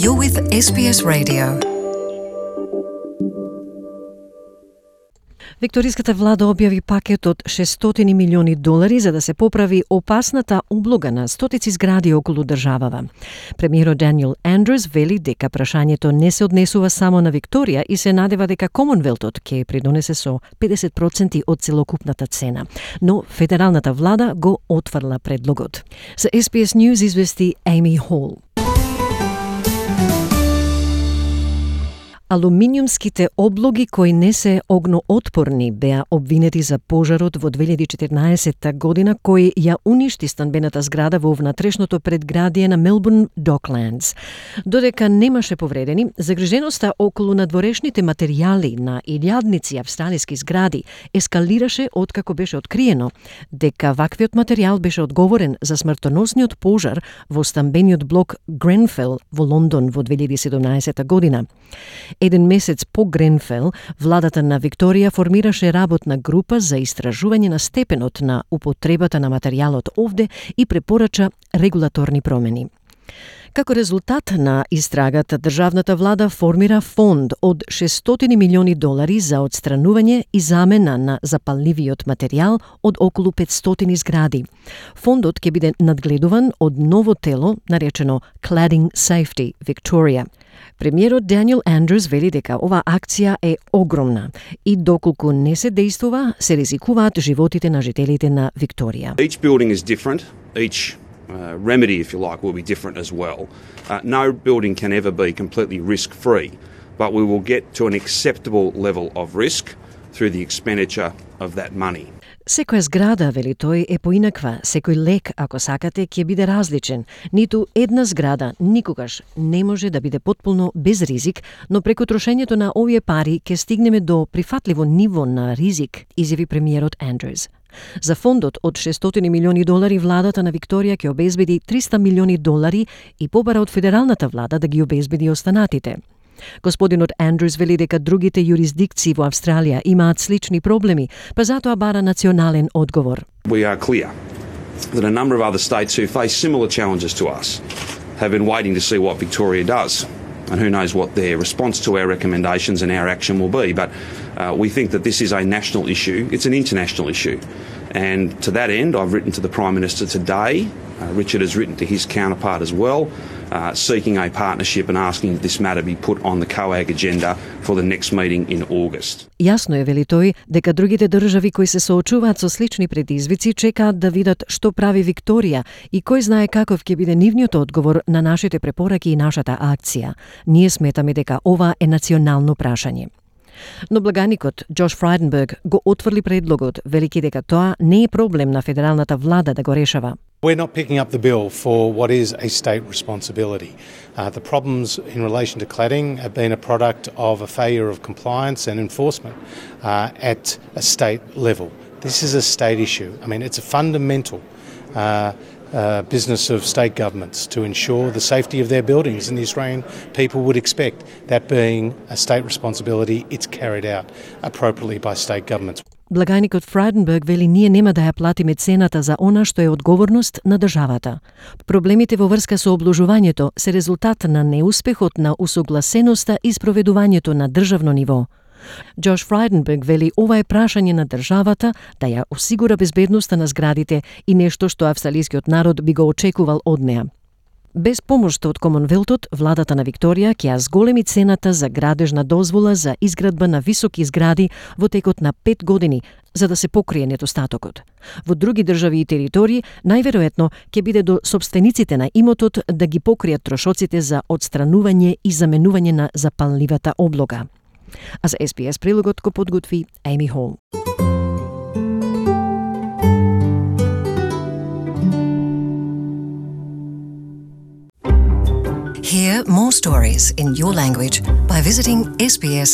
You're with SBS Radio. Викториската влада објави пакет од $600 милиони за да се поправи опасната облога на стотици згради околу државава. Премиерот Даниел Андрус вели дека прашањето не се однесува само на Викторија и се надева дека Комонвелтот ќе придонесе со 50% од целокупната цена. Но федералната влада го отфрла предлогот. За SBS News извести Amy Hall. Алуминиумските облоги кои не се огноотпорни беа обвинети за пожарот во 2014 година кој ја уништи станбената зграда во внатрешното предградие на Мелбурн Доклендс. Додека немаше повредени, загриженоста околу надворешните материјали на илјадници австралиски згради ескалираше откако беше откриено дека ваквиот материјал беше одговорен за смртоносниот пожар во станбениот блок Гренфел во Лондон во 2017 година. Еден месец по Гренфел, владата на Викторија формираше работна група за истражување на степенот на употребата на материјалот овде и препорача регулаторни промени. Како резултат на истрагата, државната влада формира фонд од $600 милиони за отстранување и замена на запалливиот материјал од околу 500 згради. Фондот ќе биде надгледуван од ново тело наречено Cladding Safety Victoria. Премиерот Даниел Андрус вели дека оваа акција е огромна и доколку не се действува, се ризикуваат животите на жителите на Викторија. Each building is different. Each remedy, if you like, will be different as well. No building can ever be completely risk-free, but we will get to an acceptable level of risk through the expenditure of that money. Секоја зграда, вели тој, е поинаква. Секој лек, ако сакате, ќе биде различен. Ниту една зграда никогаш не може да биде потполно без ризик, но преку трошењето на овие пари ќе стигнеме до прифатливо ниво на ризик, изјави премиерот Андрус. За фондот од $600 милиони владата на Викторија ќе обезбеди $300 милиони и побара од федералната влада да ги обезбеди останатите. Господинот Андрус вели дека другите юрисдикции во Австралија имаат слични проблеми, па затоа бара национален одговор. We are clear that a number of other states who face similar challenges to us have been waiting to see what Victoria does. And who knows what their response to our recommendations and our action will be. But we think that this is a national issue. It's an international issue. And to that end, I've written to the Prime Minister today. Richard has written to his counterpart as well, seeking a partnership and asking that this matter be put on the COAG agenda for the next meeting in August. Јасно е, вели тој, дека другите држави кои се соочуваат со слични предизвици чекаат да видат што прави Викторија и кој знае каков ќе биде нивниот одговор на нашите препораки и нашата акција. Ние сметаме дека ова е национално прашање. Но благаникот Джош Фрайденберг го отврли предлогот, велики дека тоа не е проблем на федералната влада да го решава. We're not picking up the bill for what is a state responsibility. The problems in relation to cladding have been a product of a failure of compliance and enforcement at a state level. This is a state issue. I mean, it's a fundamental business of state governments to ensure the safety of their buildings, and the Australian people would expect that being a state responsibility, it's carried out appropriately by state governments. Благаникот Фрайденберг вели ние нема да ја платиме цената за она што е одговорност на државата. Проблемите во врска со обложувањето се резултат на неуспехот на усогласеноста и спроведувањето на државно ниво. Джош Фрайденберг вели ова е прашање на државата да ја осигура безбедноста на зградите и нешто што австралискиот народ би го очекувал од неа. Без помошта од Комонвелтот, владата на Викторија ќе ја зголеми цената за градежна дозвола за изградба на високи згради во текот на 5 години, за да се покрие недостатокот. Во други држави и територии, најверојатно ќе биде до собствениците на имотот да ги покријат трошоците за отстранување и заменување на запалливата облога. А за SBS прилогот го подготви Amy Hall. Hear more stories in your language by visiting sbs.com.au.